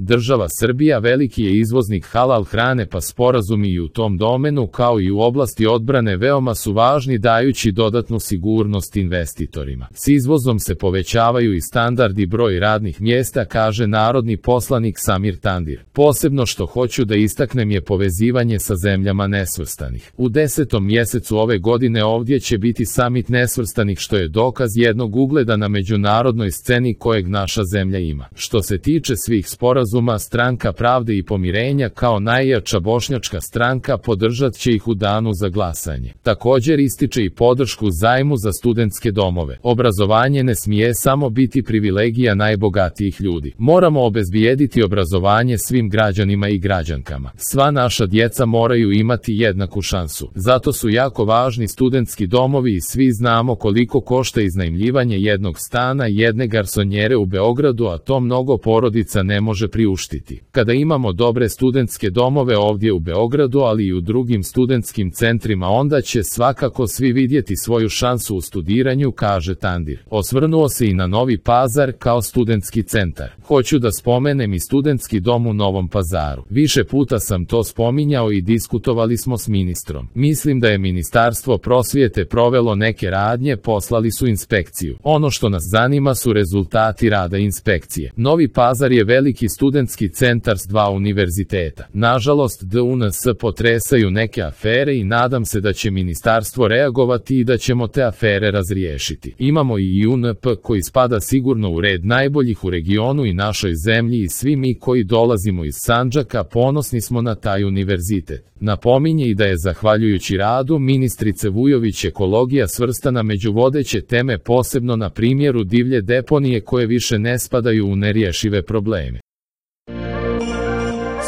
Država Srbija veliki je izvoznik halal hrane, pa sporazumi i u tom domenu kao i u oblasti odbrane veoma su važni, dajući dodatnu sigurnost investitorima. S izvozom se povećavaju i standard i broj radnih mjesta, kaže narodni poslanik Samir Tandir. Posebno što hoću da istaknem je povezivanje sa zemljama nesvrstanih. U 10. mjesecu ove godine ovdje će biti samit nesvrstanih, što je dokaz jednog ugleda na međunarodnoj sceni kojeg naša zemlja ima. Što se tiče svih sporazuma, Stranka pravde i pomirenja kao najjača bošnjačka stranka podržat će ih u danu za glasanje. Također ističe i podršku zajmu za studentske domove. Obrazovanje ne smije samo biti privilegija najbogatijih ljudi. Moramo obezbijediti obrazovanje svim građanima i građankama. Sva naša djeca moraju imati jednaku šansu. Zato su jako važni studentski domovi i svi znamo koliko košta iznajmljivanje jednog stana i jedne garsonjere u Beogradu, a to mnogo porodica ne može priuštiti. Kada imamo dobre studentske domove ovdje u Beogradu, ali i u drugim studentskim centrima, onda će svakako svi vidjeti svoju šansu u studiranju, kaže Tandir. Osvrnuo se i na Novi Pazar kao studentski centar. Hoću da spomenem i studentski dom u Novom Pazaru. Više puta sam to spominjao i diskutovali smo s ministrom. Mislim da je Ministarstvo prosvjete provelo neke radnje, poslali su inspekciju. Ono što nas zanima su rezultati rada inspekcije. Novi Pazar je veliki studentski centar s 2 univerziteta. Nažalost, DUNS potresaju neke afere i nadam se da će ministarstvo reagovati i da ćemo te afere razriješiti. Imamo i UNP koji spada sigurno u red najboljih u regionu i našoj zemlji i svi mi koji dolazimo iz Sandžaka ponosni smo na taj univerzitet. Napominje i da je zahvaljujući radu ministrice Vujović ekologija svrstana među vodeće teme, posebno na primjeru divlje deponije koje više ne spadaju u nerješive probleme.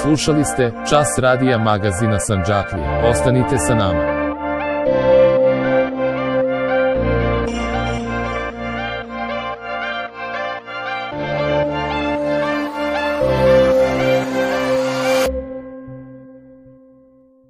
Slušali ste Čas radija magazina Sandžaklija. Ostanite sa nama.